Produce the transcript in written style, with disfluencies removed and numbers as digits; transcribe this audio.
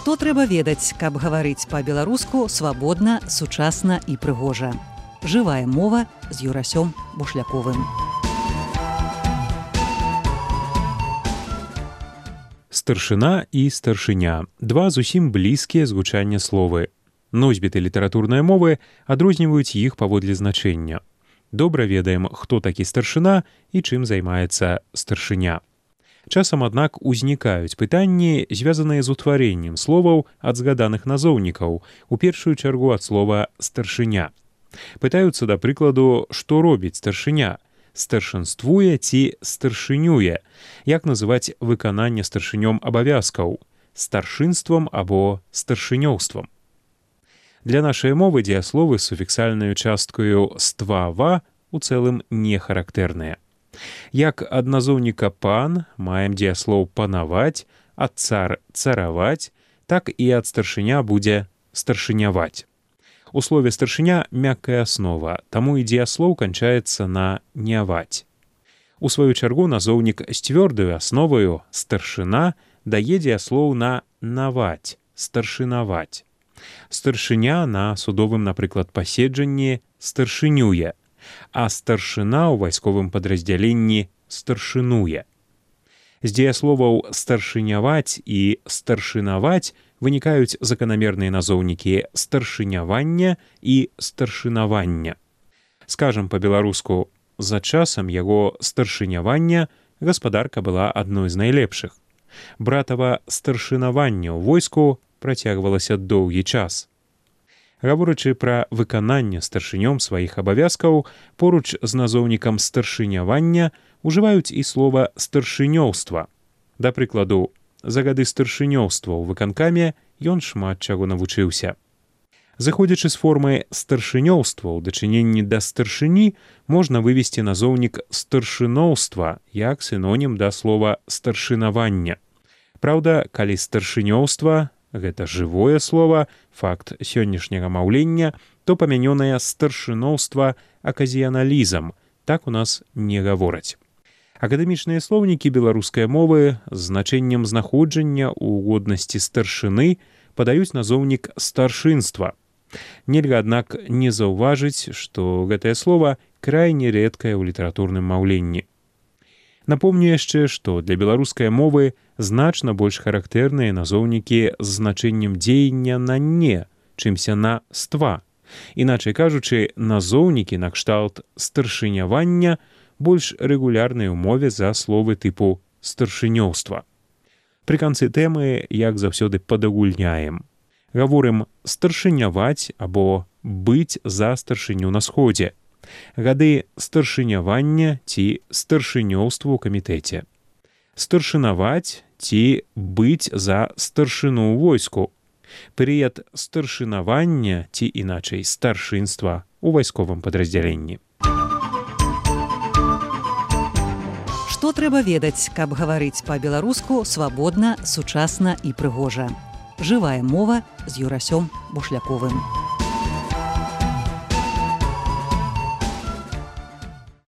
Што трэба ведаць, каб гаварыць па-беларуску свабодна, сучасна і прыгожа. Жывая мова з Юрасём Бушляковым. Старшына і старшыня – два зусім блізкія з гучання словы. Носьбіты літаратурнай мовы адрозніваюць іх паводле значэння. Добра ведаем, хто такі старшына і чым займаецца старшыня. Часам, аднак, узнікаюць пытанні, звязаныя з утварэннем словаў ад згаданых назоўнікаў, у першую чаргу ад слова «старшыня». Пытаюцца, да прыкладу, што робіць старшыня – старшынствуе ці старшынюе, як называць выкананне старшынём абавязкаў – старшынствам або старшынёўствам. Для нашай мовы дзеясловы з суфіксальнаю часткаю «ства-ва» у цэлым не характэрныя. Як ад назоўніка «пан» маем дзеяслоў «панаваць», ад «цар» – «цараваць», так і ад старшыня будзе «старшыняваць». У слове «старшыня» мяккая аснова, таму і дзеяслоў канчаецца на «няваць». У сваю чаргу назоўнік з цвёрдаю асноваю «старшына» дае дзеяслоў на «наваць», «старшынаваць». Старшыня на судовым, напрыклад, паседжанні старшынюе, а старшына ў вайсковым падраздзяленні старшынуе. З дзеясловаў «старшыняваць» і «старшынаваць» вынікаюць заканамерныя назоўнікі старшынявання і старшынавання. Скажам па-беларуску, за часам яго старшынявання гаспадарка была адной з найлепшых. Братава старшынаванне ў войску працягвалася доўгі час. Гаворачы пра выкананне старшынём сваіх абавязкаў, поруч з назоўнікам старшынявання ужываюць і слова «старшынёўства». Да прыкладу, за гады старшынёўства ў выканкаме ён шмат чаго навучыўся. Заходзячы з формы старшынёўства ў дачыненні да старшыні, можна вывесці назоўнік старшыноўства як сінонім да слова старшынавання. Праўда, калі старшынёўства – гэта жывое слово, факт сённяшняга маўлення, то памянёнае старшыноўства аказіяналізм, так у нас не гавораць. Акадэмічныя слоўнікі беларускай мовы з значэннем знаходжання ў годнасці старшыны падаюць назоўнік старшынства. Нельга, аднак, не заўважыць, што гэтае слова крайне рэдкае ў літаратурным маўленні. Напомню яшчэ, што для беларускай мовы значна больш характэрныя назоўнікі з значэннем дзеяння на «не», чымся на «ства». Іначай кажучы, назоўнікі накшталт старшынявання больш рэгулярныя ў мове за словы тыпу старшынёўства. Пры канцы тэмы, як заўсёды, падагульняем. Гаворым «старшыняваць» або «быць за старшыню на сходзе», гады старшынявання ці старшынёўства ў камітэце, старшынаваць ці быць за старшыну ў войску, перыяд старшынавання ці, іначай, старшынства ў вайсковым падраздзяленні. Што трэба ведаць, каб гаварыць па-беларуску свабодна, сучасна і прыгожа. Жывая мова з Юрасём Бушляковым.